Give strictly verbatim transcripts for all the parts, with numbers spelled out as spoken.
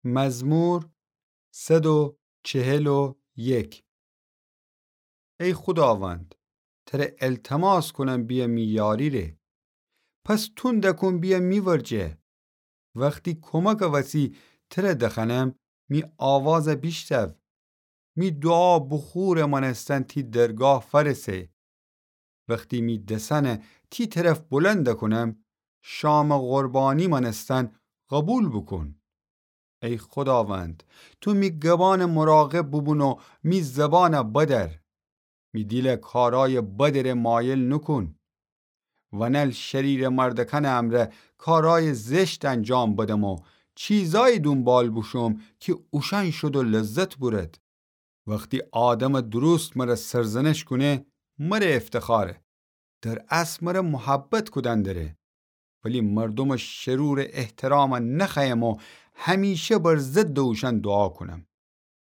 مزمور صد و چهل و یک. ای خوداوند، تره التماس کونم بیه می یاری ره. پس توند کون بیه می ورجه. وختی کمکٚ وسی تره دخوأنم، می آوازه بیشتو. می دوعا بخورٚ مأنستن تی درگاه فأرسه. وختی می دسأنه تی طرف بلند کونم، شامٚ قربانی مأنستن قوبیل بوکون. ای خوداوند، تو می گبانٚ مراقب بوبون و می زبانه بدر. می دیله کارایٚ بدٚ ره مایل نوکون. ونل شریرٚ مردکأنٚ امرأ کارایٚ زشت انجام بدم و چیزایی دونبال بوشوم کی اوشأن شود و لذت بورد. وختی آدمٚ درست مره سرزنش کونه، مره افتخاره. در اصل مره محبت کودن دره. ولی مردومٚ شرورٚ احترام نخوأیم و همیشه بر ضدٚ اوشأن دوعا کونم.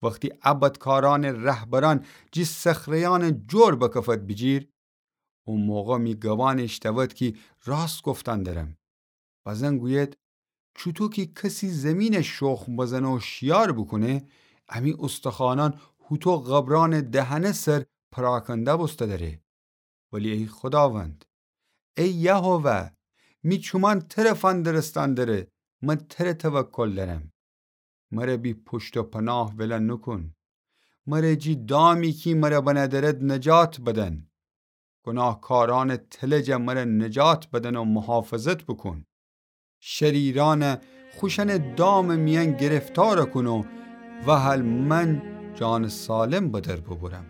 وختی ا بدکارأنٚ رهبرأن جی صخره‌یأنٚ جور بکفد بیجیر، او موقع می گبان ایشتود کی راست گفتن درم. بزن گوید، چوطو کی کسی زیمینه شخم بزنه و شیار بوکونه، امی استخوانأن هوطو قبرأنٚ دهنه سر پراکنده بوسته دره. ولی ای خوداوند، ای یهوه، می چومأن تره فندرستن دره، من تره توکل درم. مره بی پشت و پناه وله نوکون. مره جی دامی کی مره بنه درد نجات بدن. گناهکارأنٚ تله جه مره نجات بدن و محافظت بوکون. شریرأنه خوشأنٚ دامٚ میأن گرفتار کون و وهل من جانٚ سالم بدر ببرم.